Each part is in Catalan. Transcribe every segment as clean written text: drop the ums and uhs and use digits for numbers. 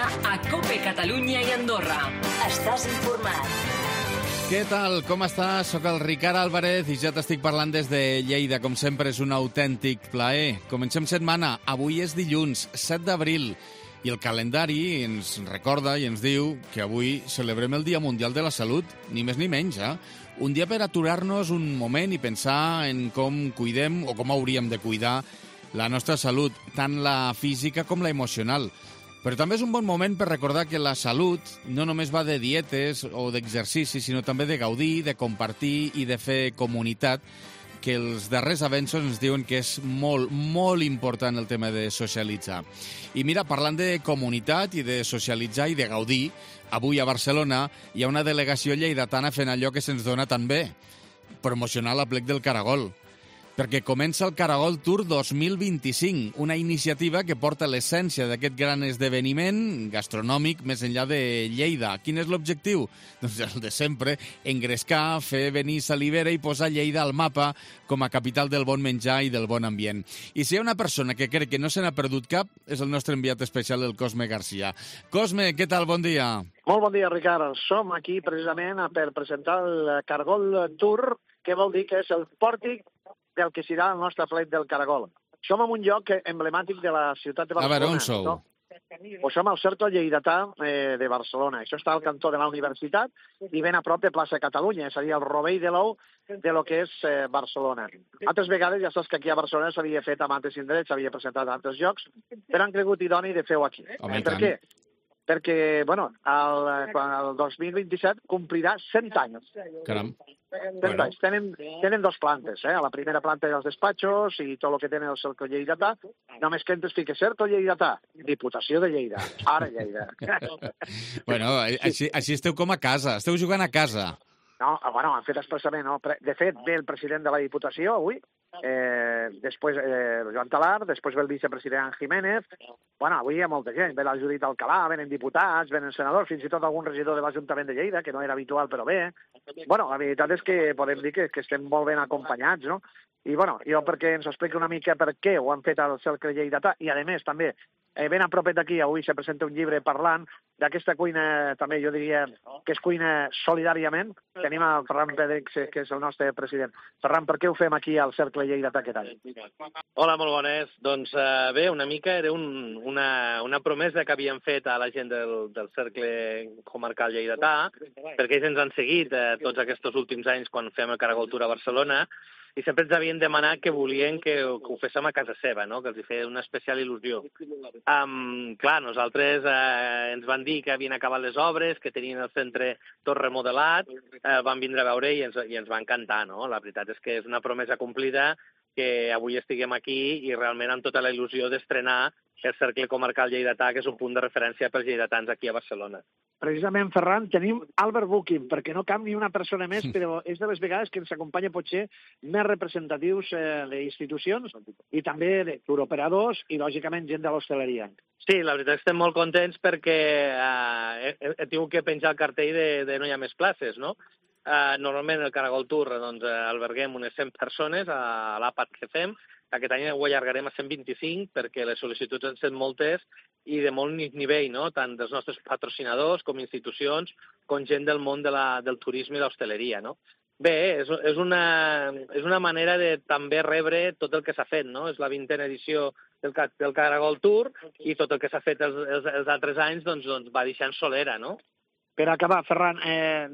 dia a COPE Catalunya i Andorra. Estàs informat. Què tal? Com estàs? Soc el Ricard Álvarez i ja t'estic parlant des de Lleida. Com sempre, és un autèntic plaer. Comencem setmana. Avui és dilluns, 7 d'abril. I el calendari ens recorda i ens diu que avui celebrem el Dia Mundial de la Salut, ni més ni menys, Un dia per aturar-nos un moment i pensar en com cuidem o com hauríem de cuidar la nostra salut, tant la física com la emocional. Però també és un bon moment per recordar que la salut no només va de dietes o d'exercici, sinó també de gaudir, de compartir i de fer comunitat, que els darrers avenços ens diuen que és molt, molt important el tema de socialitzar. I mira, parlant de comunitat i de socialitzar i de gaudir, avui a Barcelona hi ha una delegació lleidatana fent allò que se'ns dona tan bé, promocionar l'Aplec del Caragol, perquè comença el Caragol Tour 2025, una iniciativa que porta l'essència d'aquest gran esdeveniment gastronòmic més enllà de Lleida. Quin és l'objectiu? Doncs el de sempre, engrescar, fer venir salivera i posar Lleida al mapa com a capital del bon menjar i del bon ambient. I si hi ha una persona que crec que no se n'ha perdut cap, és el nostre enviat especial, el Cosme Garcia. Cosme, què tal? Bon dia. Molt bon dia, Ricard. Som aquí precisament per presentar el Caragol Tour, que vol dir que és el pòrtic del que serà el nostre Aplec del Caragol. Som en un lloc emblemàtic de la ciutat de Barcelona. A veure, on sou? No? O som al Cercle Lleidatà de Barcelona. Això està al cantó de la universitat i ben a prop de plaça Catalunya, és a dir, el rovell de l'ou de lo que és Barcelona. Altres vegades ja saps que aquí a Barcelona s'havia fet amb altres indrets, s'havia presentat a altres llocs, però han cregut idoni de fer-ho aquí. Per què? Perquè, bueno, el 2027 complirà 100 anys. Caram. 100 anys. Tenen dos plantes, A la primera planta dels despatxos i tot el que tenen el Cercle Lleidatà. Només que entres fiques Cercle Lleidatà, Diputació de Lleida, ara Lleida. Bueno, així esteu com a casa, esteu jugant a casa. No, bueno, han fet expressament, no? De fet, ve el president de la Diputació avui, després Joan Talar, després ve el vicepresident Jiménez. Bueno, avui hi ha molta gent, ve la Judit Alcalà, venen diputats, venen senadors, fins i tot algun regidor de l'Ajuntament de Lleida, que no era habitual, però bé. Bueno, la veritat és que podem dir que estem molt ben acompanyats, no? I, bueno, jo perquè ens expliqui una mica per què ho han fet al Cercle Lleidatà, i, a més, també, ben a propet d'aquí, avui se presenta un llibre parlant d'aquesta cuina, també jo diria que es cuina solidàriament. Tenim el Ferran Pedrex, que és el nostre president. Ferran, per què ho fem aquí al Cercle Lleidatà aquest any? Hola, molt bones. Doncs bé, una mica era una promesa que havíem fet a la gent del Cercle Comarcal Lleidatà, perquè ells ens han seguit tots aquests últims anys quan fem el Caragol Tour a Barcelona, i sempre ens havien demanat que volien que ho féssim a casa seva, no? Que els hi feia una especial il·lusió. Clar, nosaltres ens van dir que havien acabat les obres, que tenien el centre tot remodelat, van vindre a veure i ens va encantar, no? La veritat és que és una promesa complida que avui estiguem aquí i realment amb tota la il·lusió d'estrenar el Cercle Comarcal Lleidatà, que és un punt de referència pels lleidatans aquí a Barcelona. Precisament, Ferran, tenim Albert Booking, perquè no cap ni una persona més, però és de les vegades que ens acompanya potser més representatius d'institucions i també de turoperadors i, lògicament, gent de l'hostaleria. Sí, la veritat estem molt contents perquè he tingut que penjar el cartell de no hi ha més places, no? Normalment el Caragol Tour alberguem unes 100 persones a l'àpat que fem. Aquest any ho allargarem a 125 perquè les sol·licituds han estat moltes i de molt nivell, no? Tant dels nostres patrocinadors com institucions, com gent del món del turisme i l'hostaleria, no? Bé, és una manera de també rebre tot el que s'ha fet, no? És la 20a edició del Caragol Tour i tot el que s'ha fet els altres anys doncs va deixant solera, no? Per acabar, Ferran,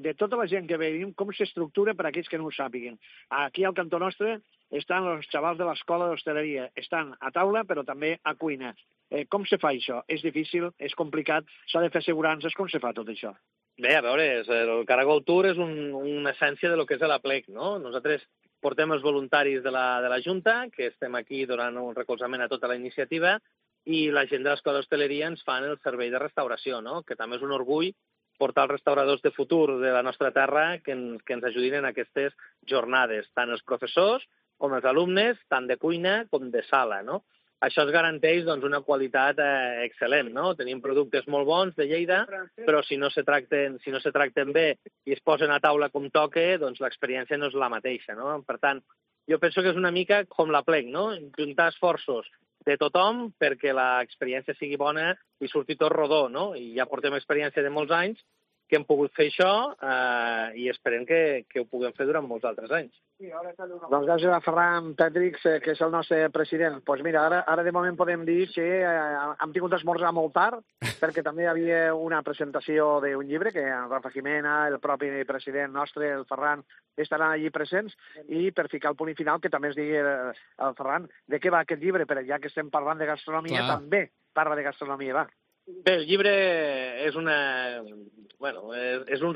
de tota la gent que veiem, com s'estructura per a aquells que no ho sàpiguen? Aquí al cantó nostre estan els xavals de l'escola d'hostaleria. Estan a taula, però també a cuina. Com se fa això? És difícil? És complicat? S'ha de fer assegurances? Com se fa tot això? Bé, a veure, el Caragol Tour és una essència de lo que és l'Aplec, no? Nosaltres portem els voluntaris de la Junta, que estem aquí donant un recolzament a tota la iniciativa, i la gent de l'escola d'hostaleria ens fan el servei de restauració, no? Que també és un orgull portar els restauradors de futur de la nostra terra que ens ajudin en aquestes jornades, tant els professors com els alumnes, tant de cuina com de sala, no? Això es garanteix una qualitat excel·lent, no? Tenim productes molt bons de Lleida, però si no se tracten bé i es posen a taula com toca, doncs l'experiència no és la mateixa, no? Per tant, jo penso que és una mica com l'Aplec, no? Juntar esforços de tothom perquè l'experiència sigui bona i surti tot rodó, no? I ja portem experiència de molts anys que hem pogut fer això i esperem que ho puguem fer durant molts altres anys. Doncs gràcies a Ferran Petrix, que és el nostre president. Doncs mira, ara de moment podem dir que hem tingut esmorzar molt tard, perquè també hi havia una presentació d'un llibre que en Rafa Jimena, el propi president nostre, el Ferran, estaran allí presents, i per ficar el punt final, que també es digui el Ferran, de què va aquest llibre, perquè ja que estem parlant de gastronomia, també parla de gastronomia, va. Bé, el llibre és un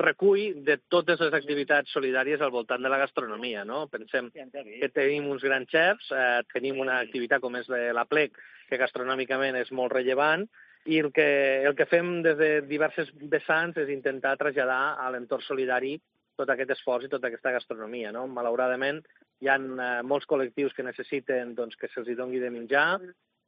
recull de totes les activitats solidàries al voltant de la gastronomia, no? Pensem que tenim uns grans xefs, tenim una activitat com és l'Aplec, que gastronòmicament és molt rellevant, i el que fem des de diverses vessants és intentar traslladar a l'entorn solidari tot aquest esforç i tota aquesta gastronomia, no? Malauradament, hi ha molts col·lectius que necessiten que se'ls doni de menjar,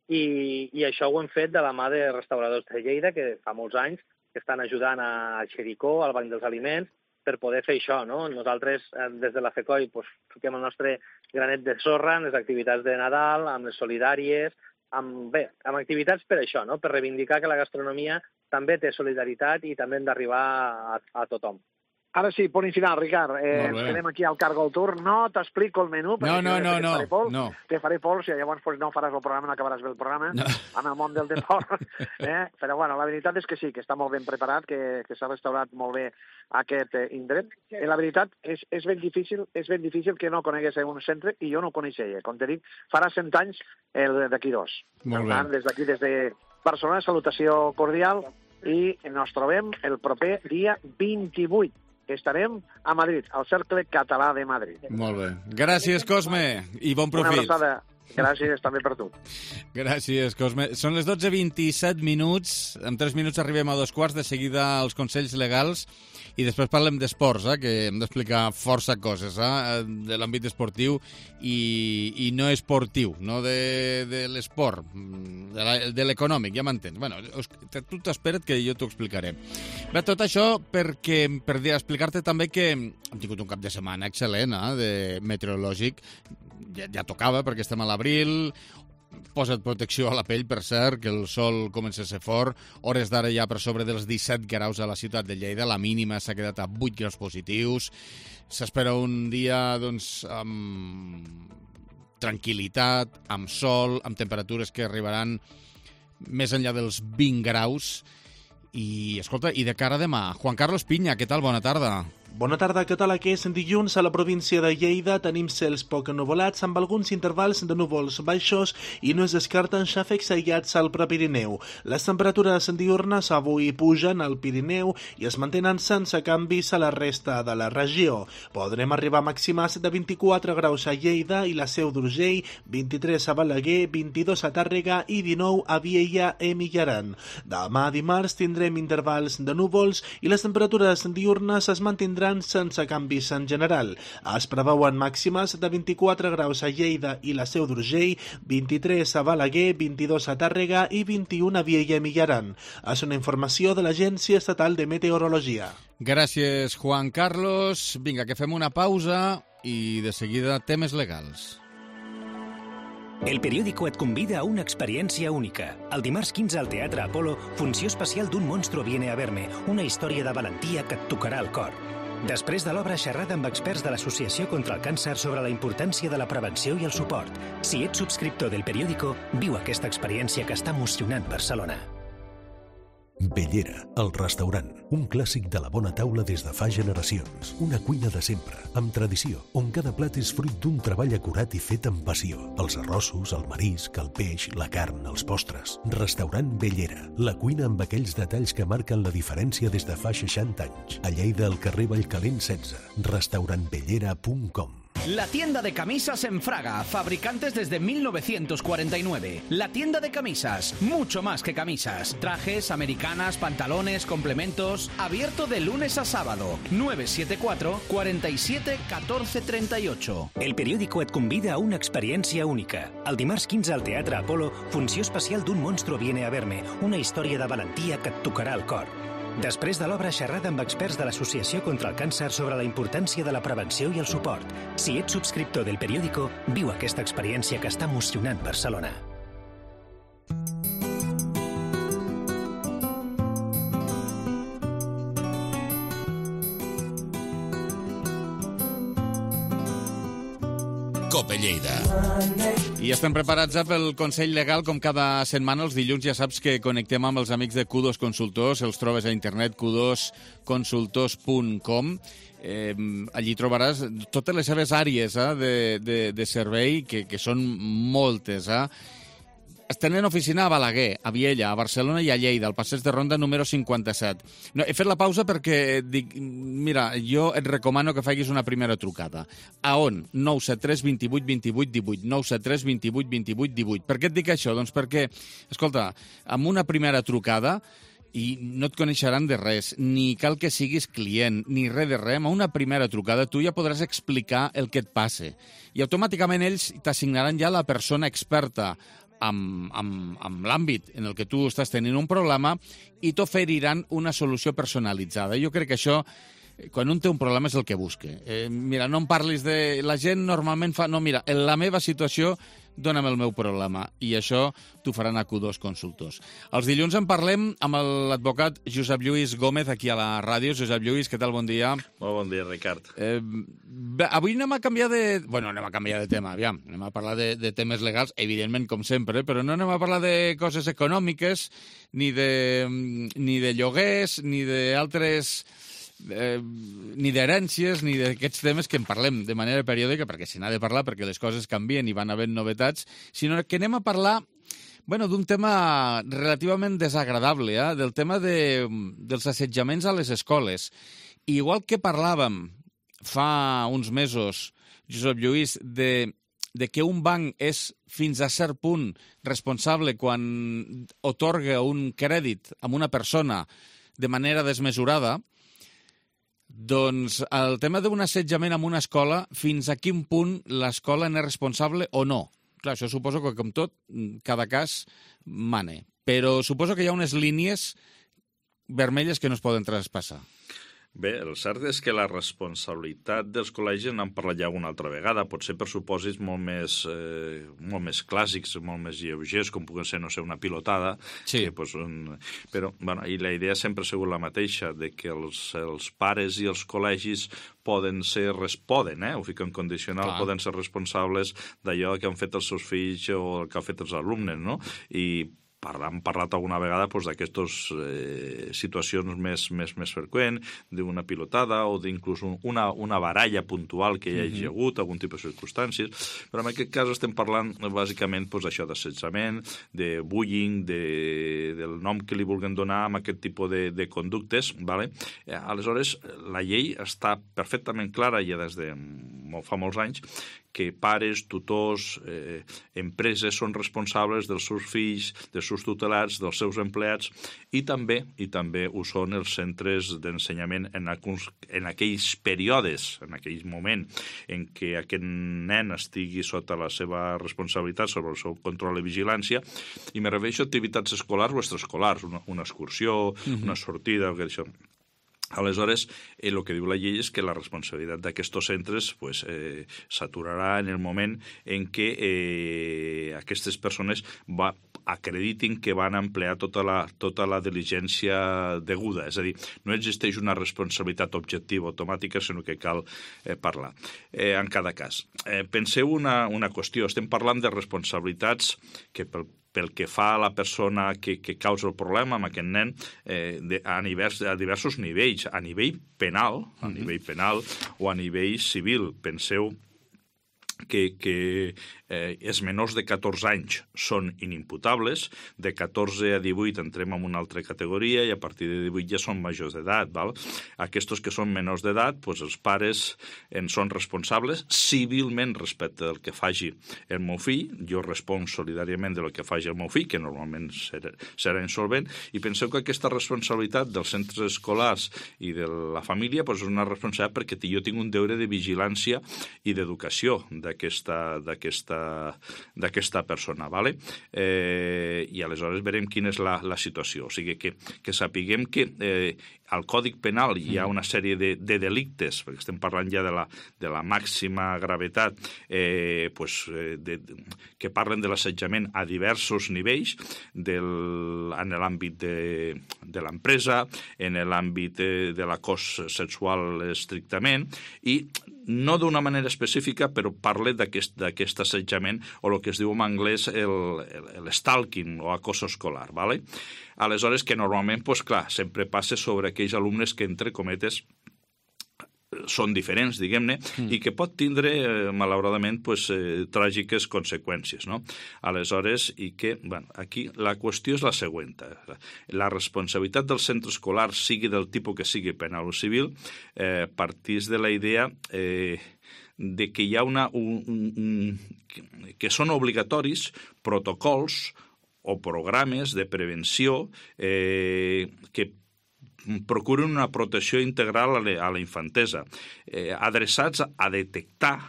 i això ho hem fet de la mà de restauradors de Lleida, que fa molts anys que estan ajudant a Xericó, al Banc dels Aliments, per poder fer això, no? Nosaltres, des de la FECOI, fiquem el nostre granet de sorra en les activitats de Nadal, amb les solidàries, amb activitats per això, no? Per reivindicar que la gastronomia també té solidaritat i també hem d'arribar a tothom. Ara sí, punt final, Ricard. Tenim aquí al Cargol Tour. No t'explico el menú. No. Te faré pols i llavors no faràs el programa, no acabaràs bé el programa en el món del deport. Però bueno, la veritat és que sí, que està molt ben preparat, que s'ha restaurat molt bé aquest indret. La veritat és ben difícil que no conegués un centre, i jo no coneixia. Com te dic, farà 100 anys d'aquí 2. Per tant, des d'aquí, des de Barcelona, salutació cordial, i ens trobem el proper dia 28. Estarem a Madrid, al Cercle Català de Madrid. Molt bé. Gràcies, Cosme, i bon profit. Una abraçada. Gràcies també per tu. Gràcies, Cosme. Són les 12:27 minuts. En 3 minuts arribem a 2 quarts. De seguida els consells legals i després parlem d'esports, que hem d'explicar força coses de l'àmbit esportiu i no esportiu, no de l'esport, de l'econòmic, ja m'entens. Bueno, tu t'espera't que jo t'ho explicaré. Bé, tot això per explicar-te també que hem tingut un cap de setmana excel·lent, de meteorològic. Ja tocava, perquè estem a l'abril. Posa't protecció a la pell, per cert, que el sol comença a ser fort. Hores d'ara ja per sobre dels 17 graus a la ciutat de Lleida. La mínima s'ha quedat a 8 graus positius. S'espera un dia, amb tranquil·litat, amb sol, amb temperatures que arribaran més enllà dels 20 graus. I, escolta, i de cara a demà, Juan Carlos Piña, què tal? Bona tarda. Bona tarda, què tal? Aquest dilluns a la província de Lleida tenim cels poc ennuvolats amb alguns intervals de núvols baixos i no es descarten xàfecs aïllats al Prepirineu. Les temperatures diürnes avui pugen al Pirineu i es mantenen sense canvis a la resta de la regió. Podrem arribar a màximes de 24 graus a Lleida i la Seu d'Urgell, 23 a Balaguer, 22 a Tàrrega i 19 a Viella i Millaran. Demà dimarts tindrem intervals de núvols i les temperatures diürnes es mantindran sense canvis en general. Es preveuen màximes de 24 graus a Lleida i la Seu d'Urgell, 23 a Balaguer, 22 a Tàrrega i 21 a Viella i Millaran. És una informació de l'Agència Estatal de Meteorologia. Gràcies, Juan Carlos. Vinga, que fem una pausa i de seguida temes legals. El Periódico et convida a una experiència única. El dimarts 15 al Teatre Apolo, funció especial d'Un monstruo viene a verme, una història de valentia que et tocarà el cor. Després de l'obra, xerrada amb experts de l'Associació contra el Càncer sobre la importància de la prevenció i el suport. Si ets subscriptor del Periódico, viu aquesta experiència que està emocionant Barcelona. Bellera, el restaurant, un clàssic de la bona taula des de fa generacions. Una cuina de sempre, amb tradició, on cada plat és fruit d'un treball acurat i fet amb passió. Els arrossos, el marisc, el peix, la carn, els postres. Restaurant Bellera, la cuina amb aquells detalls que marquen la diferència des de fa 60 anys. A Lleida, al carrer Vallcalent 16, restaurantbellera.com. La tienda de camisas en Fraga, fabricantes desde 1949. La tienda de camisas, mucho más que camisas. Trajes, americanas, pantalones, complementos. Abierto de lunes a sábado. 974 47 14 38. El Periódico et convida a una experiència única. El dimarts 15 al Teatre Apolo, funció especial d'Un monstruo viene a verme, una història de valentia que et tocarà el cor. Després de l'obra, xerrada amb experts de l'Associació contra el Càncer sobre la importància de la prevenció i el suport. Si ets subscriptor del Periódico, viu aquesta experiència que està emocionant Barcelona. COPE Lleida. I estem preparats pel Consell Legal, com cada setmana. Els dilluns ja saps que connectem amb els amics de Q2 Consultors. Els trobes a internet, q2consultors.com. Allí trobaràs totes les seves àrees de servei, que són moltes. Tenen oficina a Balaguer, a Viella, a Barcelona i a Lleida, al passeig de Ronda número 57. No, he fet la pausa perquè dic, mira, jo et recomano que facis una primera trucada. A on? 973 28 28 18. 973 28 28 18. Per què et dic això? Doncs perquè, escolta, amb una primera trucada i no et coneixeran de res, ni cal que siguis client, ni res de res. Amb una primera trucada tu ja podràs explicar el que et passe. I automàticament ells t'assignaran ja la persona experta amb l'àmbit en el que tu estàs tenint un problema i t'oferiran una solució personalitzada. Jo crec que això, quan un té un problema, és el que busca. Mira, no em parlis de... La gent normalment fa... No, mira, en la meva situació, dóna'm el meu problema. I això t'ho faran a Q2 Consultors. Els dilluns en parlem amb l'advocat Josep Lluís Gómez, aquí a la ràdio. Josep Lluís, què tal? Bon dia. Molt bon dia, Ricard. Avui anem a canviar de... Bueno, anem a canviar de tema, aviam. Anem a parlar de temes legals, evidentment, com sempre, però no anem a parlar de coses econòmiques, ni de lloguers, ni d'altres... ni d'herències, ni d'aquests temes que en parlem de manera periòdica, perquè se n'ha de parlar, perquè les coses canvien i van havent novetats, sinó que anem a parlar d'un tema relativament desagradable, del tema dels assetjaments a les escoles. I igual que parlàvem fa uns mesos, Josep Lluís, de que un banc és fins a cert punt responsable quan otorga un crèdit a una persona de manera desmesurada, doncs el tema d'un assetjament en una escola, fins a quin punt l'escola n'és responsable o no? Clar, això suposo que, com tot, cada cas mane. Però suposo que hi ha unes línies vermelles que no es poden traspassar. Bé, el cert és que la responsabilitat dels col·legis n'hem parlat ja una altra vegada, potser per supòsits molt més clàssics, molt més lleugers, com puguen ser, no sé, una pilotada. Sí. Però, bueno, i la idea sempre ha sigut la mateixa, de que els pares i els col·legis poden, ho fico en condicional, poden ser responsables d'allò que han fet els seus fills o el que han fet els alumnes, no? I hem parlat alguna vegada d'aquestes situacions més freqüents, d'una pilotada o d'inclús una baralla puntual que hi hagi hagut, algun tipus de circumstàncies, però en aquest cas estem parlant bàsicament d'això, d'assetjament, de bullying, del nom que li vulguin donar a aquest tipus de conductes. Aleshores, la llei està perfectament clara ja des de fa molts anys que pares, tutors, empreses són responsables dels seus fills, dels seus tutelats, dels seus empleats i també ho són els centres d'ensenyament en aquells períodes, en aquell moment en què aquest nen estigui sota la seva responsabilitat, sobre el seu control i vigilància, i me refereixo a activitats escolars o extraescolars, una excursió, una sortida, o que això. Aleshores, el que diu la llei és que la responsabilitat d'aquests centres s'aturarà en el moment en què aquestes persones acreditin que van emplear tota la diligència deguda. És a dir, no existeix una responsabilitat objectiva automàtica, sinó que cal parlar en cada cas. Penseu una qüestió. Estem parlant de responsabilitats que pel que fa a la persona que causa el problema amb aquest nen a diversos nivells, a nivell penal o a nivell civil. Penseu que els menors de 14 anys són inimputables, de 14 a 18 entrem en una altra categoria i a partir de 18 ja són majors d'edat. Aquests que són menors d'edat, els pares en són responsables civilment respecte del que faci el meu fill. Jo responc solidàriament del que faci el meu fill, que normalment serà insolvent, i penseu que aquesta responsabilitat dels centres escolars i de la família és una responsabilitat perquè jo tinc un deure de vigilància i d'educació d'aquesta persona, ¿vale? I aleshores veurem quina és la situació. O sigui, que sapiguem que al Còdic Penal hi ha una sèrie de delictes, perquè estem parlant ja de la màxima gravetat, que parlen de l'assetjament a diversos nivells, en l'àmbit de l'empresa, en l'àmbit de l'acòs sexual estrictament, i no d'una manera específica, però parla d'aquest assetjament, o el que es diu en anglès el stalking o acoso escolar, ¿vale? Aleshores, que normalment, pues, clar, sempre passa sobre aquells alumnes que, entre cometes, són diferents, diguem-ne, i que pot tindre, malauradament, pues, tràgiques conseqüències, no? Aleshores, i que, bueno, aquí la qüestió és la següent. La responsabilitat del centre escolar, sigui del tipus que sigui penal o civil, partís de la idea de que hi ha que són obligatoris protocols o programes de prevenció que procuren una protecció integral a la infantesa, adreçats a detectar,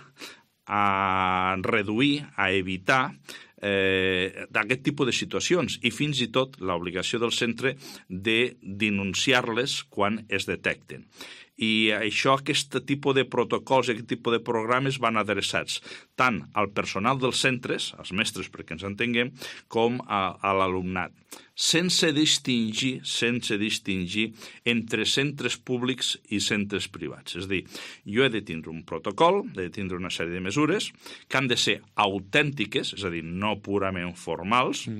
a reduir, a evitar d'aquest tipus de situacions i fins i tot l'obligació del centre de denunciar-les quan es detecten. I això, aquest tipus de protocols i aquest tipus de programes van adreçats tant al personal dels centres, als mestres perquè ens entenguem, com a l'alumnat, sense distingir entre centres públics i centres privats. És a dir, jo he de tindre un protocol, he de tindre una sèrie de mesures que han de ser autèntiques, és a dir, no purament formals,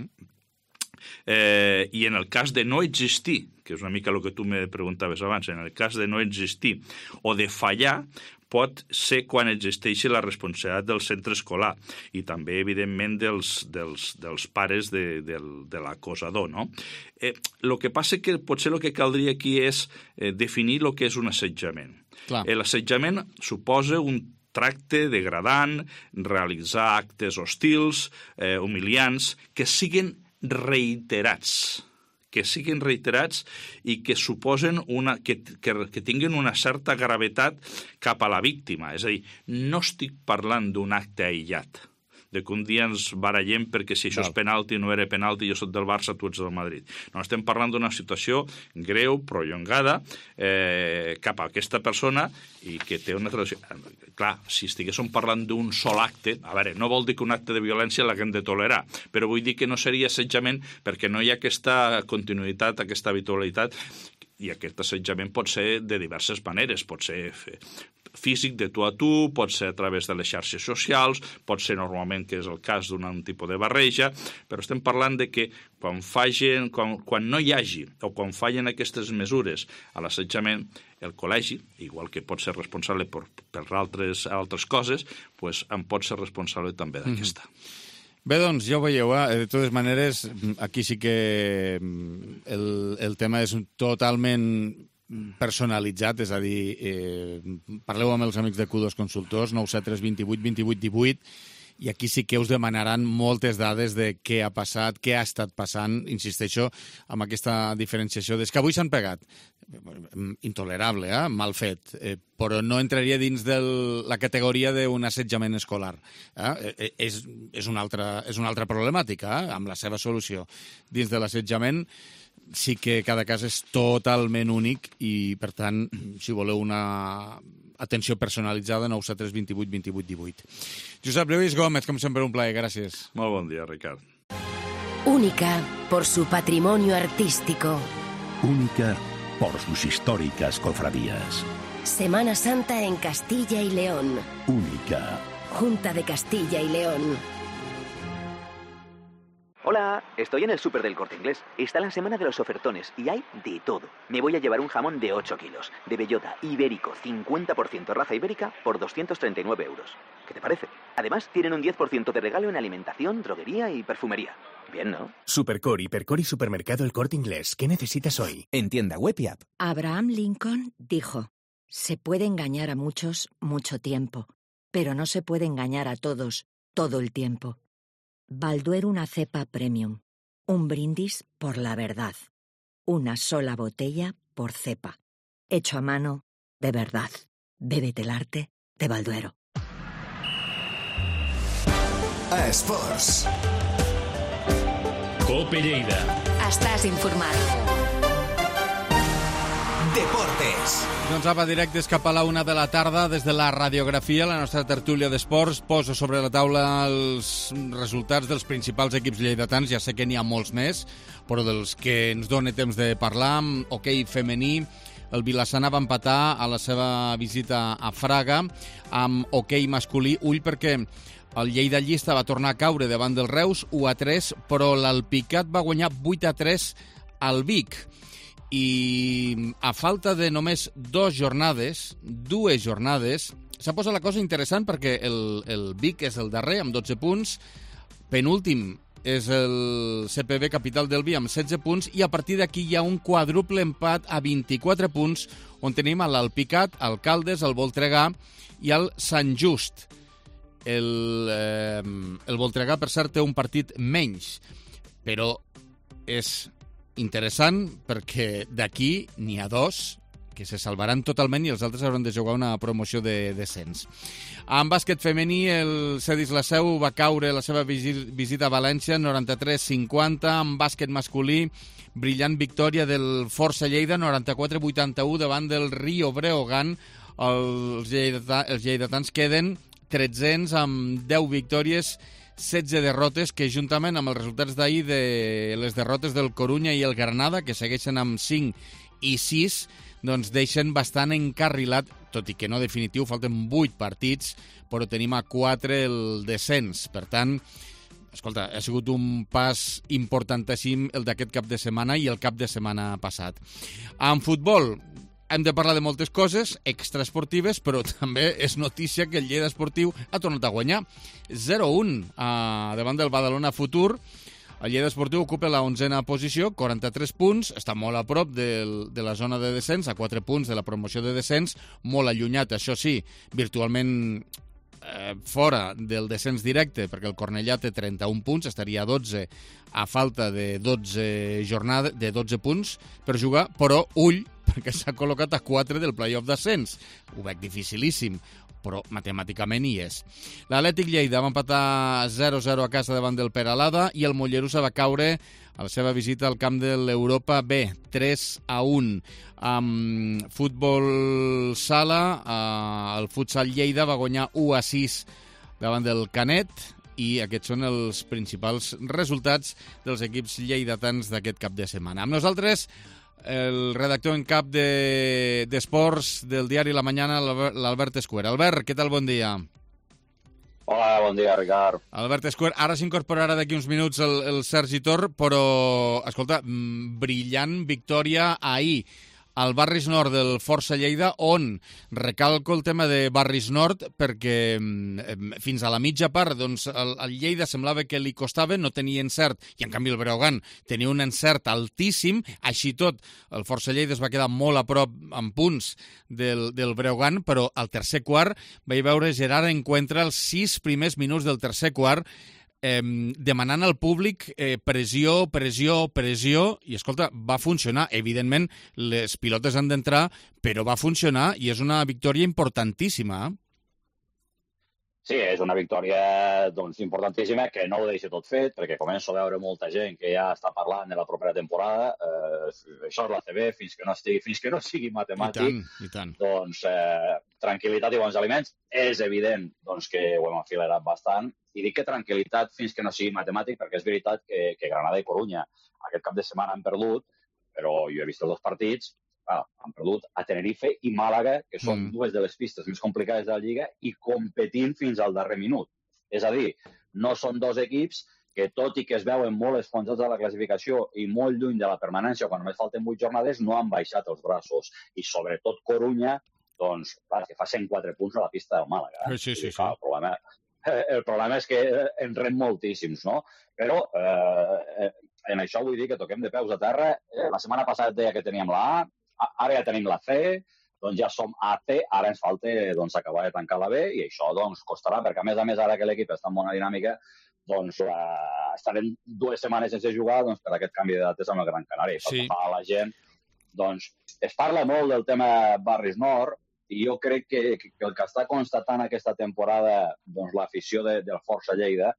i en el cas de no existir, que és una mica el que tu me preguntaves abans, en el cas de no existir o de fallar, pot ser quan existeixi la responsabilitat del centre escolar i també, evidentment, dels pares de l'acosador, no? El que passa que potser el que caldria aquí és definir el que és un assetjament. L'assetjament suposa un tracte degradant, realitzar actes hostils, humiliants, que siguin reiterats i que suposen que tinguin una certa gravetat cap a la víctima. És a dir, no estic parlant d'un acte aïllat, de que un dia ens barallem perquè si això és penalti no era penalti, jo soc del Barça, tu ets del Madrid. No, estem parlant d'una situació greu, prolongada, cap a aquesta persona i que té una tradició. Clar, si estiguéssim parlant d'un sol acte, a veure, no vol dir que un acte de violència l'haguem de tolerar, però vull dir que no seria assetjament perquè no hi ha aquesta continuïtat, aquesta habitualitat, i aquest assetjament pot ser de diverses maneres, pot ser físic, de tu a tu, pot ser a través de les xarxes socials, pot ser normalment, que és el cas d'un tipus de barreja, però estem parlant de que quan no hi hagi o quan fallen aquestes mesures a l'assetjament, el col·legi, igual que pot ser responsable per altres coses, doncs en pot ser responsable també d'aquesta. Bé, doncs, ja ho veieu, de totes maneres, aquí sí que el tema és totalment personalitzat, és a dir, parleu amb els amics de Q2 Consultors, 973 28 28 18, i aquí sí que us demanaran moltes dades de què ha passat, què ha estat passant, insisteixo, amb aquesta diferenciació. Des que avui s'han pegat, intolerable, mal fet, però no entraria dins de la categoria d'un assetjament escolar. És una altra problemàtica, amb la seva solució. Dins de l'assetjament sí que cada cas és totalment únic i, per tant, si voleu una atenció personalitzada, 973 28 28 18. Josep Lluís Gómez, com sempre, un plaer. Gràcies. Molt bon dia, Ricard. Única por su patrimonio artístico. Única por sus históricas cofradías. Semana Santa en Castilla y León. Única. Junta de Castilla y León. Hola, estoy en el súper del Corte Inglés. Está la semana de los ofertones y hay de todo. Me voy a llevar un jamón de 8 kilos, de bellota, ibérico, 50% raza ibérica, por 239 euros. ¿Qué te parece? Además, tienen un 10% de regalo en alimentación, droguería y perfumería. Bien, ¿no? Supercore, Hipercore y Supermercado El Corte Inglés. ¿Qué necesitas hoy? En tienda web y app. Abraham Lincoln dijo: se puede engañar a muchos mucho tiempo, pero no se puede engañar a todos todo el tiempo. Balduero, una cepa premium. Un brindis por la verdad. Una sola botella por cepa. Hecho a mano, de verdad. Bébete el arte de Balduero. A Esports. Cope Lleida. Estàs informat. Deportes. Doncs apa, directes cap a la 1 de la tarda, des de la radiografia, la nostra tertúlia d'esports, posa sobre la taula els resultats dels principals equips lleidatans. Ja sé que n'hi ha molts més, però dels que ens dona temps de parlar, amb hoquei femení, el Vilassana va empatar a la seva visita a Fraga amb hoquei masculí. Ull perquè el Lleida Llista va tornar a caure davant del Reus 1-3, però l'Alpicat va guanyar 8-3 al Vic. I a falta de només dues jornades, s'ha posat la cosa interessant perquè el Vic és el darrer amb 12 punts, penúltim és el CPB Capital del Vi amb 16 punts i a partir d'aquí hi ha un quadruple empat a 24 punts on tenim l'Alpicat, el Caldes, el Voltregà i el Sant Just. El Voltregà, per cert, té un partit menys, però és interessant perquè d'aquí n'hi ha dos que se salvaran totalment i els altres hauran de jugar una promoció de descens. En bàsquet femení, el Cedis la Seu va caure la seva visita a València 93-50. En bàsquet masculí, brillant victòria del Força Lleida 94-81 davant del Rio Breogán. Els lleidatans queden 13 amb 10 victòries, 16 derrotes, que juntament amb els resultats d'ahir de les derrotes del Corunya i el Granada, que segueixen amb 5 i 6, doncs deixen bastant encarrilat, tot i que no definitiu, falten 8 partits, però tenim a 4 el descens. Per tant, escolta, ha sigut un pas importantíssim el d'aquest cap de setmana i el cap de setmana passat. En futbol, hem de parlar de moltes coses extraesportives, però també és notícia que el Lleida Esportiu ha tornat a guanyar 0-1 davant del Badalona Futur. El Lleida Esportiu ocupa la 11a posició, 43 punts, està molt a prop de la zona de descens, a 4 punts de la promoció de descens, molt allunyat, això sí, virtualment fora del descens directe, perquè el Cornellà té 31 punts, estaria a 12 a falta de 12 punts per jugar, però ull, perquè s'ha col·locat a 4 del play-off d'ascens. Ho veig dificilíssim, però matemàticament hi és. L'Atlètic Lleida va empatar 0-0 a casa davant del Peralada i el Mollerussa va caure a la seva visita al camp de l'Europa B, 3-1. Amb futbol sala, el futsal Lleida va guanyar 1-6 davant del Canet i aquests són els principals resultats dels equips lleidatans d'aquest cap de setmana. Amb nosaltres, el redactor en cap d'Esports del diari La Mañana, l'Albert Escuer. Albert, què tal? Bon dia. Hola, bon dia, Ricard. Albert Escuer, ara s'incorporarà d'aquí uns minuts el Sergi Tor, però, escolta, brillant victòria ahir al Barris Nord del Força Lleida, on recalco el tema de Barris Nord perquè fins a la mitja part doncs, el Lleida semblava que li costava, no tenia encert, i en canvi el Breogán tenia un encert altíssim, així tot el Força Lleida es va quedar molt a prop en punts del Breogán, però al tercer quart vaig veure Gerard Encuentra els 6 primers minuts del tercer quart demanant al públic pressió, i escolta, va funcionar. Evidentment, les pilotes han d'entrar, però va funcionar i és una victòria importantíssima. Sí, és una victòria importantíssima que no ho deixa tot fet, perquè començo a veure molta gent que ja està parlant de la propera temporada. Això és la CB, fins que no sigui matemàtic. I tant. Doncs tranquil·litat i bons aliments. És evident que ho hem afilerat bastant. I dic que tranquil·litat fins que no sigui matemàtic, perquè és veritat que Granada i Corunya aquest cap de setmana han perdut, però jo he vist els 2 partits, han perdut a Tenerife i Màlaga, que són 2 de les pistes més complicades de la Lliga, i competint fins al darrer minut. És a dir, no són 2 equips que, tot i que es veuen molt esfonsats a la classificació i molt lluny de la permanència, quan només falten 8 jornades, no han baixat els braços. I sobretot Corunya, doncs, clar, que fa 104 punts a la pista del Màlaga. Sí. El problema és que en rem moltíssims, no? Però en això vull dir que toquem de peus a terra. La setmana passada deia que teníem la A, ara ja tenim la C, doncs ja som a C, ara ens falta acabar de tancar la B i això costarà, perquè a més ara que l'equip està en bona dinàmica, estarem 2 setmanes sense jugar per aquest canvi de dates amb el Gran Canari. Sí. A la gent, es parla molt del tema Barris Nord, i jo crec que el que està constatant aquesta temporada l'afició del Força Lleida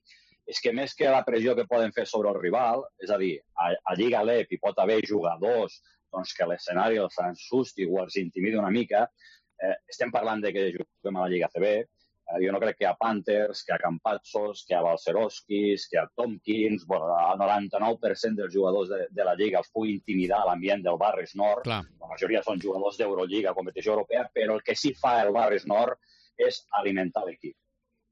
és que més que la pressió que poden fer sobre el rival, és a dir, a Lliga LEP hi pot haver jugadors que l'escenari els ensusti o els intimidi una mica, estem parlant de que juguem a la Lliga CB, jo no crec que hi ha Panthers, que hi ha Campazos, que hi ha Balcerovskis, que hi ha Tompkins, bueno, el 99% dels jugadors de la Lliga els pugui intimidar a l'ambient del Barris Nord. Clar. La majoria són jugadors d'Eurolliga, competició europea, però el que sí fa el Barris Nord és alimentar l'equip.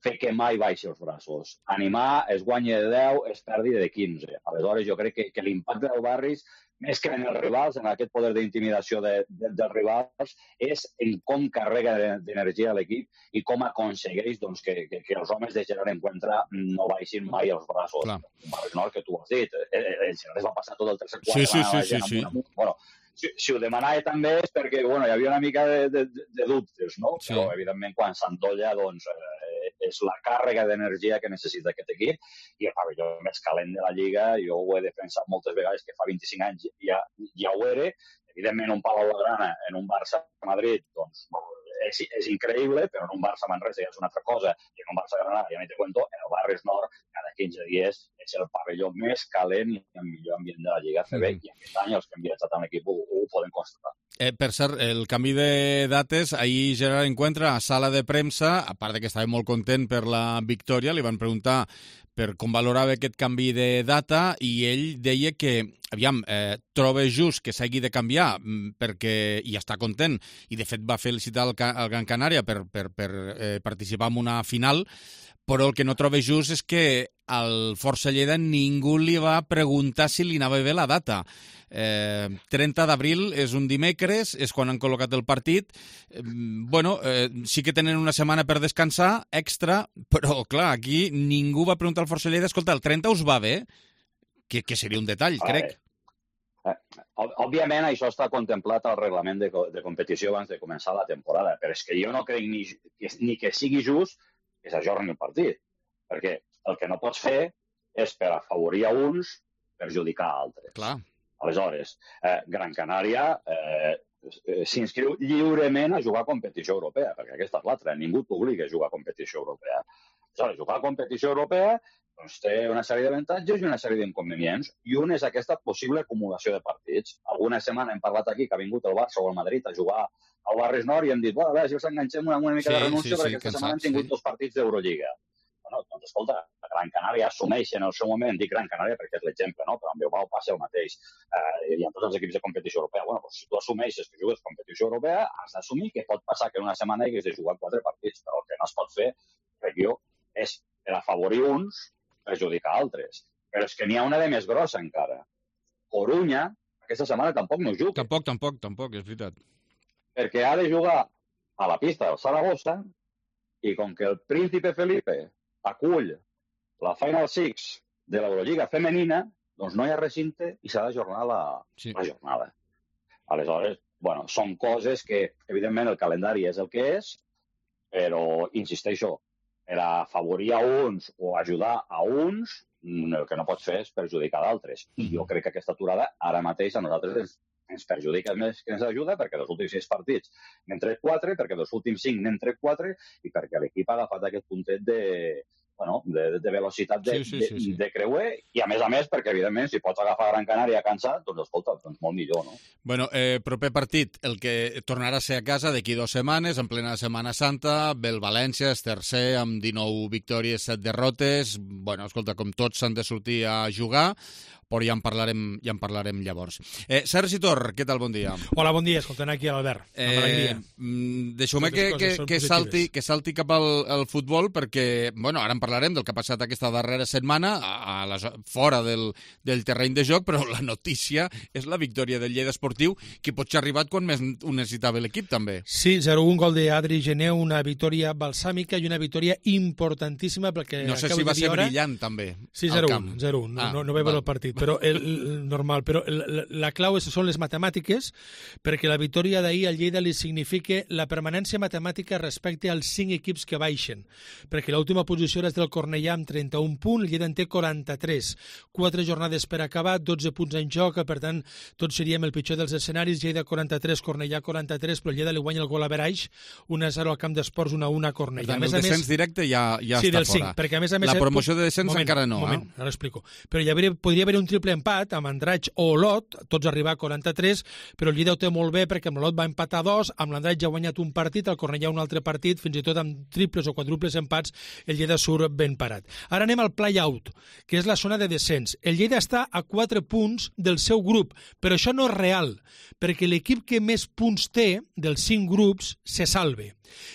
Fer que mai baixi els braços. Animar, es guanya de 10, es perdi de 15. Aleshores, jo crec que l'impacte del Barris, més que en els rivals, en aquest poder d'intimidació dels rivals, és en com carrega d'energia l'equip i com aconsegueix que els homes de Gerard Encuentra no baixin mai els braços. Clar. Un Barris Nord que tu has dit. El Gerard es va passar tot el tercer quart. Sí. Bueno, si ho demanava també és perquè hi havia una mica de dubtes, no? Sí. Però, evidentment, quan s'endolla, és la càrrega d'energia que necessita aquest equip i el pavelló més calent de la Lliga, jo ho he defensat moltes vegades, que fa 25 anys ja ho era. Evidentment, un Palau Blaugrana en un Barça-Madrid, doncs, és increïble, però en un Barça-Manresa ja és una altra cosa, i en un Barça-Granada, ja no te cuento, en el Barris Nord, cada 15 dies és el pavelló més calent i el millor ambient de la Lliga CB, i aquest any els que han viatjat amb l'equip ho poden constatar. Per cert, el canvi de dates, ahir Gerard Encuentra a sala de premsa, a part que estava molt content per la victòria, li van preguntar per com valorava aquest canvi de data i ell deia que, troba just que s'hagi de canviar perquè hi està content i de fet va felicitar el Gran Canària per participar en una final, però el que no troba just és que al Força Lleida ningú li va preguntar si li anava bé la data. 30 d'abril és un dimecres, és quan han col·locat el partit. Sí que tenen una setmana per descansar, extra, però clar, aquí ningú va preguntar al Força Lleida, escolta, el 30 us va bé? Que seria un detall, crec. Òbviament això està contemplat al reglament de competició abans de començar la temporada, però és que jo no crec ni que sigui just que s'ajorni el partit, perquè el que no pots fer és per afavorir a uns perjudicar a altres. Clar. Aleshores, Gran Canària s'inscriu lliurement a jugar a competició europea, perquè aquesta és l'altra, ningú t'obliga a jugar a competició europea. Aleshores, jugar a competició europea doncs té una sèrie d'avantatges i una sèrie d'inconvenients, i un és aquesta possible acumulació de partits. Alguna setmana hem parlat aquí que ha vingut el Barça o el Madrid a jugar al Barris Nord i hem dit, a veure si els enganxem una mica de renúncia perquè aquesta setmana han tingut 2 partits d'Eurolliga. Doncs escolta, Gran Canària assumeix en el seu moment, dic Gran Canària perquè és l'exemple, no? Però amb Bilbao passa el mateix, i amb tots els equips de competició europea. Si tu assumeixes que jugues competició europea, has d'assumir que pot passar que en una setmana hagués de jugar 4 partits, però el que no es pot fer, crec jo, és per afavorir uns, perjudicar altres. Però és que n'hi ha una de més grossa encara. Corunya, aquesta setmana tampoc no juga. Tampoc, és veritat. Perquè ha de jugar a la pista del Saragossa i com que el Príncipe Felipe acull la Final Six de l'Eurolliga femenina, doncs no hi ha recinte i s'ha d'ajornar la jornada. Aleshores, són coses que, evidentment, el calendari és el que és, però, insisteixo, per afavorir a uns o ajudar a uns, el que no pots fer és perjudicar d'altres. I jo crec que aquesta aturada ara mateix a nosaltres ens perjudica més que ens ajuda, perquè dels últims 6 partits n'hem tret 4, perquè dels últims 5 n'hem tret 4 i perquè l'equip ha agafat aquest puntet de velocitat de creuer i, a més, perquè, evidentment, si pots agafar Gran Canària cansat, doncs, escolta, molt millor, no? Proper partit, el que tornarà a ser a casa d'aquí 2 setmanes, en plena Setmana Santa, ve el València, és tercer, amb 19 victòries, 7 derrotes. Escolta, com tots s'han de sortir a jugar, però ja en parlarem llavors. Sergi Tor, què tal? Bon dia. Hola, bon dia, escoltant aquí a l'Albert. Deixeu-me que salti cap al futbol, perquè, ara en parlarem del que ha passat aquesta darrera setmana fora del terreny de joc, però la notícia és la victòria del Lleida Esportiu, que potser ha arribat quan més ho necessitava l'equip, també. Sí, 0-1, gol d'Adri Geneu, una victòria balsàmica i una victòria importantíssima, perquè... No sé si va ser brillant, també. Sí, 0-1, no ve per el partit, però normal. Però la clau són les matemàtiques, perquè la victòria d'ahir al Lleida li significa la permanència matemàtica respecte als 5 equips que baixen, perquè l'última posició és del Cornellà amb 31 punts, el Lleida en té 43. 4 jornades per acabar, 12 punts en joc, per tant, tots seríem el pitjor dels escenaris, Lleida 43, Cornellà 43, però el Lleida li guanya el gol a Beraix, 1-0 al camp d'esports, 1-1 a Cornellà. El descens directe ja està fora. Perquè, a més, la promoció de descens encara no. Moment, ara explico. Però podria haver un triple empat amb Andratx o Olot, tots arribar a 43, però el Lleida ho té molt bé perquè amb l'Olot va empatar 2, amb l'Andratx ja ha guanyat un partit, el Cornellà un altre partit, fins i tot amb triples o quadruples empats el Lleida surt ben parat. Ara anem al play-out, que és la zona de descens. El Lleida està a 4 punts del seu grup, però això no és real, perquè l'equip que més punts té dels 5 grups se salve.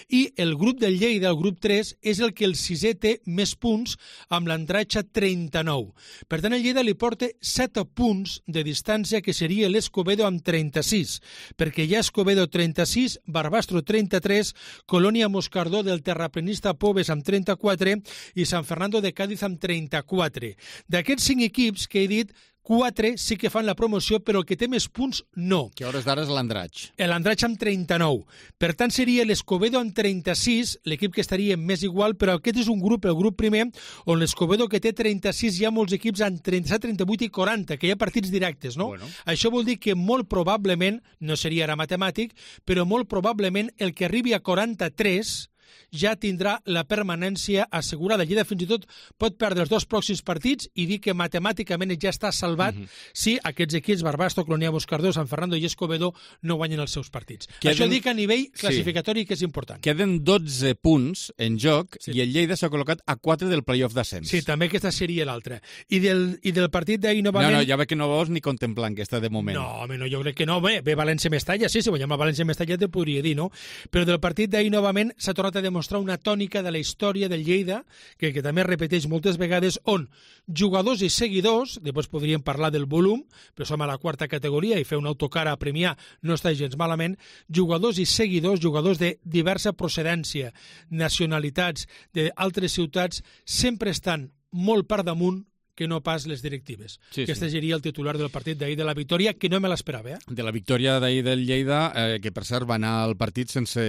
I el grup del Lleida, el grup 3, és el que el sisè té més punts amb l'Andratx a 39. Per tant, el Lleida li porta 7 punts de distància, que seria l'Escobedo amb 36, perquè hi ha Escobedo 36, Barbastro 33, Colònia Moscardó del terraplenista Pobes amb 34 i San Fernando de Cádiz amb 34. D'aquests 5 equips que he dit, 4 sí que fan la promoció, però el que té més punts no. Que a hores d'ara és l'Andratx. L'Andratx amb 39. Per tant, seria l'Escobedo amb 36, l'equip que estaria més igual, però aquest és un grup, el grup primer, on l'Escobedo, que té 36, hi ha molts equips amb 37, 38 i 40, que hi ha partits directes, no? Bueno. Això vol dir que molt probablement, no seria ara matemàtic, però molt probablement el que arribi a 43 ja tindrà la permanència assegurada. Lleida fins i tot pot perdre els 2 pròxims partits i dir que matemàticament ja està salvat si aquests equips, Barbastro, Colònia Moscardó, San Fernando i Escobedo, no guanyen els seus partits. Això dic a nivell classificatori, que és important. Queden 12 punts en joc i el Lleida s'ha col·locat a 4 del playoff d'ascens. Sí, també aquesta seria l'altra. I del partit d'ahir novament... No, ja veig que no vols ni contemplar aquesta de moment. No, home, no, jo crec que no. Bé, València-Mestalla, sí, si guanyem a València-Mestalla te podria dir, no? Però del partit d'ahir novament s'ha tornat a demostrar una tònica de la història del Lleida, que també es repeteix moltes vegades, on jugadors i seguidors, després podríem parlar del volum, però som a la 4ª categoria i fer un autocar a premiar no està gens malament, jugadors i seguidors, jugadors de diversa procedència, nacionalitats, d'altres ciutats, sempre estan molt per damunt que no pas les directives. Sí, Aquest seria el titular del partit d'ahir de la victòria, que no me l'esperava. De la victòria d'ahir del Lleida, que per cert va anar al partit sense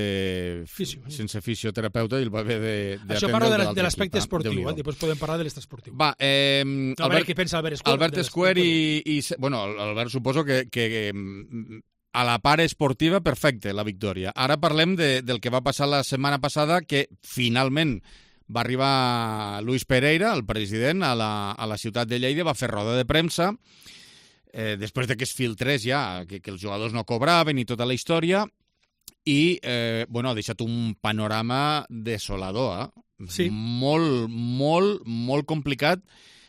fisioterapeuta i el va haver d'atendre. Això parla de l'aspecte esportiu, després podem parlar de l'esportiu. Va, què pensa Albert Escuer? Albert Escuer i... Bueno, Albert suposo que a la part esportiva, perfecte, la victòria. Ara parlem del que va passar la setmana passada, que finalment va arribar Luis Pereira, el president, a la ciutat de Lleida, va fer roda de premsa, després de que es filtrés ja, que els jugadors no cobraven i tota la història, i ha deixat un panorama desolador. Sí. Molt complicat,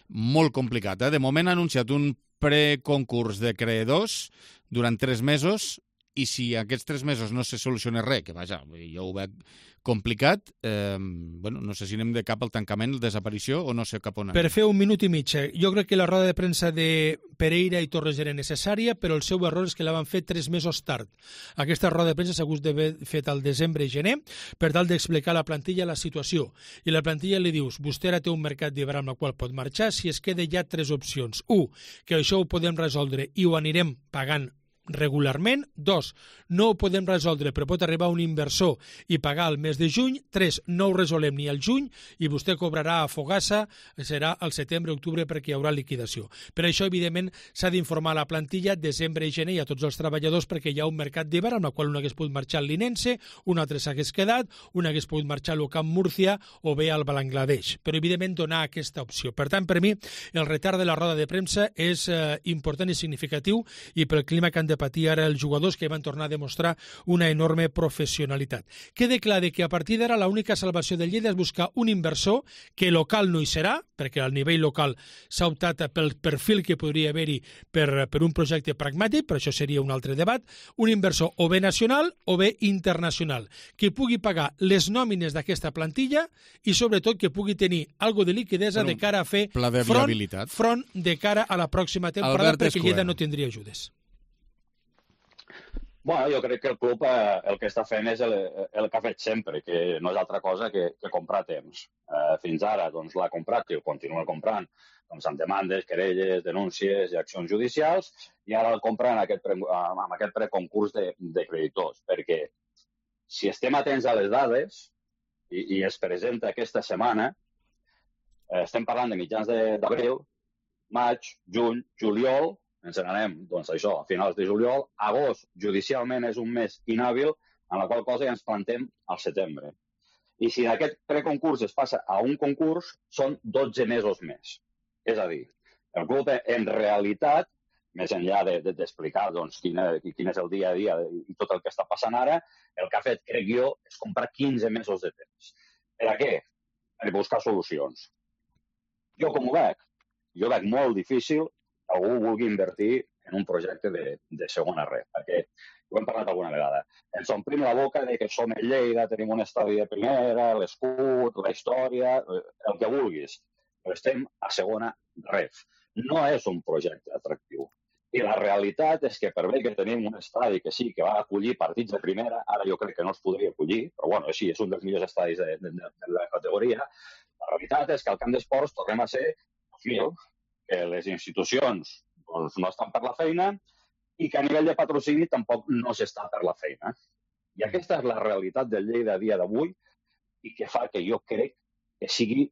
molt complicat. De moment ha anunciat un preconcurs de creadors durant 3 mesos, i si aquests 3 mesos no se soluciona res, que vaja, jo ho veig complicat, no sé si anem de cap al tancament, desaparició, o no sé cap on anem. Per fer 1 minut i mig, jo crec que la roda de premsa de Pereira i Torres era necessària, però el seu error és que la van fer 3 mesos tard. Aquesta roda de premsa s'ha hagut d'haver fet al desembre i gener, per tal d'explicar a la plantilla la situació. I la plantilla li dius, vostè ara té un mercat d'hivern amb el qual pot marxar, si es queda ja 3 opcions. 1, que això ho podem resoldre i ho anirem pagant regularment. 2, no ho podem resoldre, però pot arribar un inversor i pagar el mes de juny. 3, no ho resolem ni al juny i vostè cobrarà a Fogassa, serà al setembre-octubre perquè hi haurà liquidació. Per això, evidentment, s'ha d'informar a la plantilla desembre i gener i a tots els treballadors, perquè hi ha un mercat d'hivern amb el qual un hagués pogut marxar al Linense, un altre s'hagués quedat, un hagués pogut marxar al Camp Múrcia o bé al Bangladesh. Però, evidentment, donar aquesta opció. Per tant, per mi, el retard de la roda de premsa és important i significatiu, i pel clima que han de patir ara els jugadors, que van tornar a demostrar una enorme professionalitat. Queda clar que a partir d'ara l'única salvació del Lleida és buscar un inversor, que local no hi serà, perquè al nivell local s'ha optat pel perfil que podria haver-hi per un projecte pragmàtic, però això seria un altre debat, un inversor o bé nacional o bé internacional, que pugui pagar les nòmines d'aquesta plantilla i sobretot que pugui tenir algo de liquidesa de cara a fer front de cara a la pròxima temporada, perquè Lleida no tindria ajudes. Bueno, jo crec que el club el que està fent és el que ha fet sempre, que no és altra cosa que comprar temps. Fins ara l'ha comprat, que el continua comprant, amb demandes, querelles, denúncies i accions judicials, i ara el compra amb aquest preconcurs de creditors, perquè si estem atents a les dades, i es presenta aquesta setmana, estem parlant de mitjans d'abril, maig, juny, juliol, ens n'anem, a finals de juliol. Agost, judicialment, és un mes inhàbil, en la qual cosa ja ens plantem al setembre. I si aquest preconcurs es passa a un concurs, són 12 mesos més. És a dir, El club, en realitat, més enllà d'explicar quin és el dia a dia i tot el que està passant ara, el que ha fet, crec jo, és comprar 15 mesos de temps. Per a què? Per buscar solucions. Jo com ho veig? Jo veig molt difícil que algú vulgui invertir en un projecte de segona red, perquè ho hem parlat alguna vegada. Ens omplim la boca de que som el Lleida, tenim un estadi de primera, l'escut, la història, el que vulguis, però estem a segona red. No és un projecte atractiu. I la realitat és que per bé que tenim un estadi que sí, que va acollir partits de primera, ara jo crec que no es podria acollir, però bueno, sí, és un dels millors estadis de la categoria, la realitat és que al camp d'esports tornem a ser que les institucions no estan per la feina i que a nivell de patrocini tampoc no s'està per la feina. I aquesta és la realitat del Lleida a dia d'avui i que fa que jo crec que sigui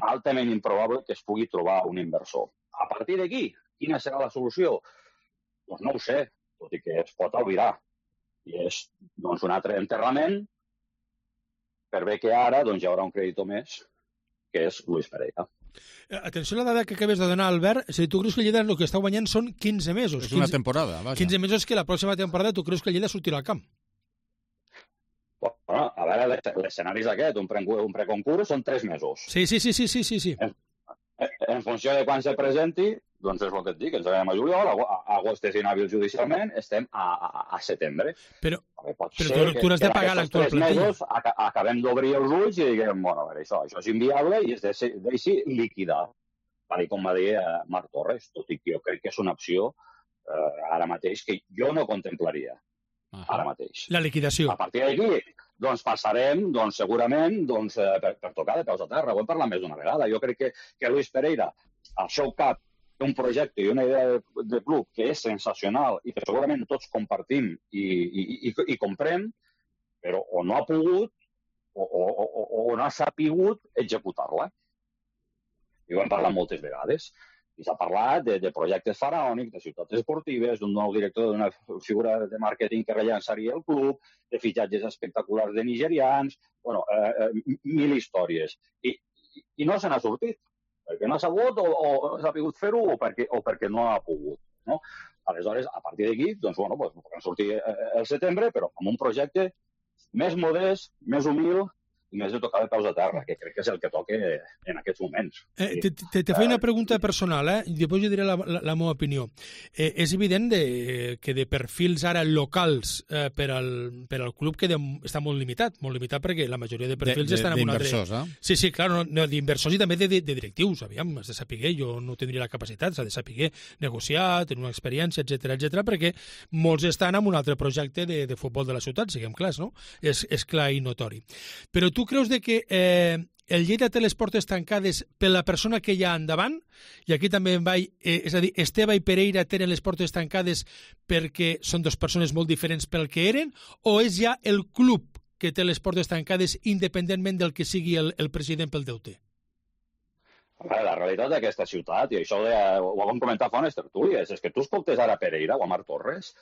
altament improbable que es pugui trobar un inversor. A partir d'aquí, quina serà la solució? Doncs no ho sé, tot i que es pot albirar. I és un altre enterrament, per bé que ara hi haurà un creditor més, que és Luis Pereira. Atenció a la dada que acabes de donar, Albert. Si tu creus que el Lleida el que està guanyant són 15 mesos. És una temporada, vaja. 15 mesos que la pròxima temporada tu creus que el Lleida sortirà al camp. Bueno, a veure, l'escenari és aquest, un preconcurs són 3 mesos. Sí. En funció de quan se presenti, doncs és el que et dic, ens veiem a juliol, a agost és inhàbil judicialment, estem a setembre. Però tu has de pagar l'actual plantilla. Mesos acabem d'obrir els ulls i diguem, bueno, a veure, això és inviable i es deixi liquidar, tal com va dir Marc Torres, tot i que jo crec que és una opció ara mateix que jo no contemplaria. Ara mateix. La liquidació. A partir d'aquí, passarem, segurament, per tocar de peus a terra. Ho hem parlat més d'una vegada. Jo crec que Luis Pereira, al seu cap, té un projecte i una idea de club que és sensacional i que segurament tots compartim i comprem, però o no ha pogut o no ha sapigut executar-la. I ho hem parlat moltes vegades. I s'ha parlat de projectes faraònics, de ciutats esportives, d'un nou director d'una figura de màrqueting que rellançaria el club, de fitxatges espectaculars de nigerians, mil històries. I no se n'ha sortit, perquè no ha sabut o s'ha pogut fer-ho o perquè no ha pogut. Aleshores, a partir d'aquí, podem sortir el setembre, però amb un projecte més modest, més humil, i més de tocar de peus a terra, que crec que és el que toca en aquests moments. Te faig una pregunta personal, i després jo diré la meva opinió. És evident que de perfils ara locals per al club està molt limitat perquè la majoria de perfils estan en un altre... D'inversors, eh? Sí, clar, d'inversors i també de directius, aviam, has de saber, jo no tindria la capacitat, s'ha de saber negociar, tenir una experiència, etc perquè molts estan en un altre projecte de futbol de la ciutat, siguem clars, no? És clar i notori. Però tu creus que el Lleida té les portes tancades per la persona que hi ha endavant? I aquí també és a dir, Esteve i Pereira tenen les portes tancades perquè són dues persones molt diferents pel que eren? O és ja el club que té les portes tancades independentment del que sigui el president pel deute? La realitat d'aquesta ciutat, i això ho vam comentar fa unes tertúlies, és que tu escoltes ara Pereira o a Marc Torres,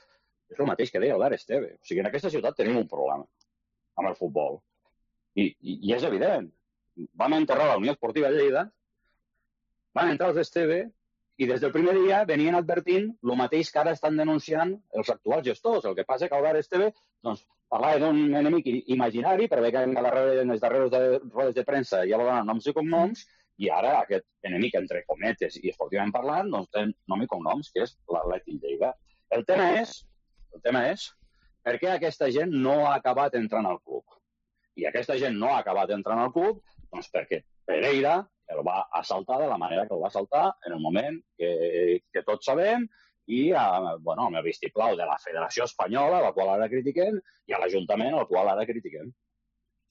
és el mateix que deia Albert Esteve. O sigui, en aquesta ciutat tenim un problema amb el futbol. I és evident. Vam enterrar la Unió Esportiva de Lleida, van entrar els Esteve i des del primer dia venien advertint el mateix que ara estan denunciant els actuals gestors. El que passa que Albert Esteve parlava d'un enemic imaginari, per bé que en les darreres rodes de premsa ja va donar noms i cognoms, i ara aquest enemic, entre cometes i esportivament parlant, té nom i cognoms, que és l'Atlètic Lleida. El tema és per què aquesta gent no ha acabat entrant al club. I aquesta gent no ha acabat entrant al club perquè Pereira el va assaltar de la manera que el va assaltar en el moment que tots sabem i amb el vistiplau de la Federació Espanyola, la qual ara critiquem, i a l'Ajuntament, el qual ara critiquem.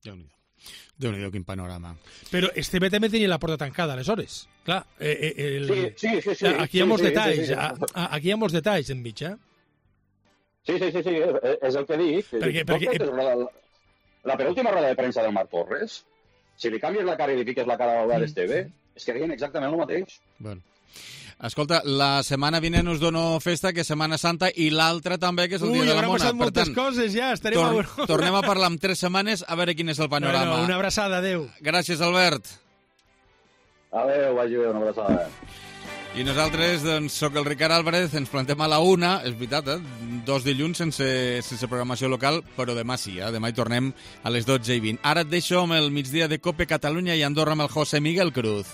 Déu-n'hi-do, quin panorama. Però Esteve també tenia la porta tancada, aleshores. Clar, sí. Aquí hi ha molts detalls. Aquí hi ha molts detalls enmig, eh? Sí, és el que dic. Perquè la penúltima roda de premsa del Marc Torres, si li canvies la cara i li fiques la cara a l'Albert Esteve, és que deien exactament el mateix. Bueno. Escolta, la setmana vinent us dono festa, que és Setmana Santa, i l'altra també, que és el Dia de la Mona. Passat moltes coses, ja, estarem a veure. Tornem a parlar en 3 setmanes, a veure quin és el panorama. Bueno, una abraçada, adeu. Gràcies, Albert. Adeu, vagi bé, una abraçada. I nosaltres, doncs, soc el Ricard Álvarez, ens plantem a la 1, és veritat, 2 dilluns sense programació local, però demà sí, demà hi tornem a les 12:20. Ara et deixo amb el migdia de Cope Catalunya i Andorra amb el José Miguel Cruz.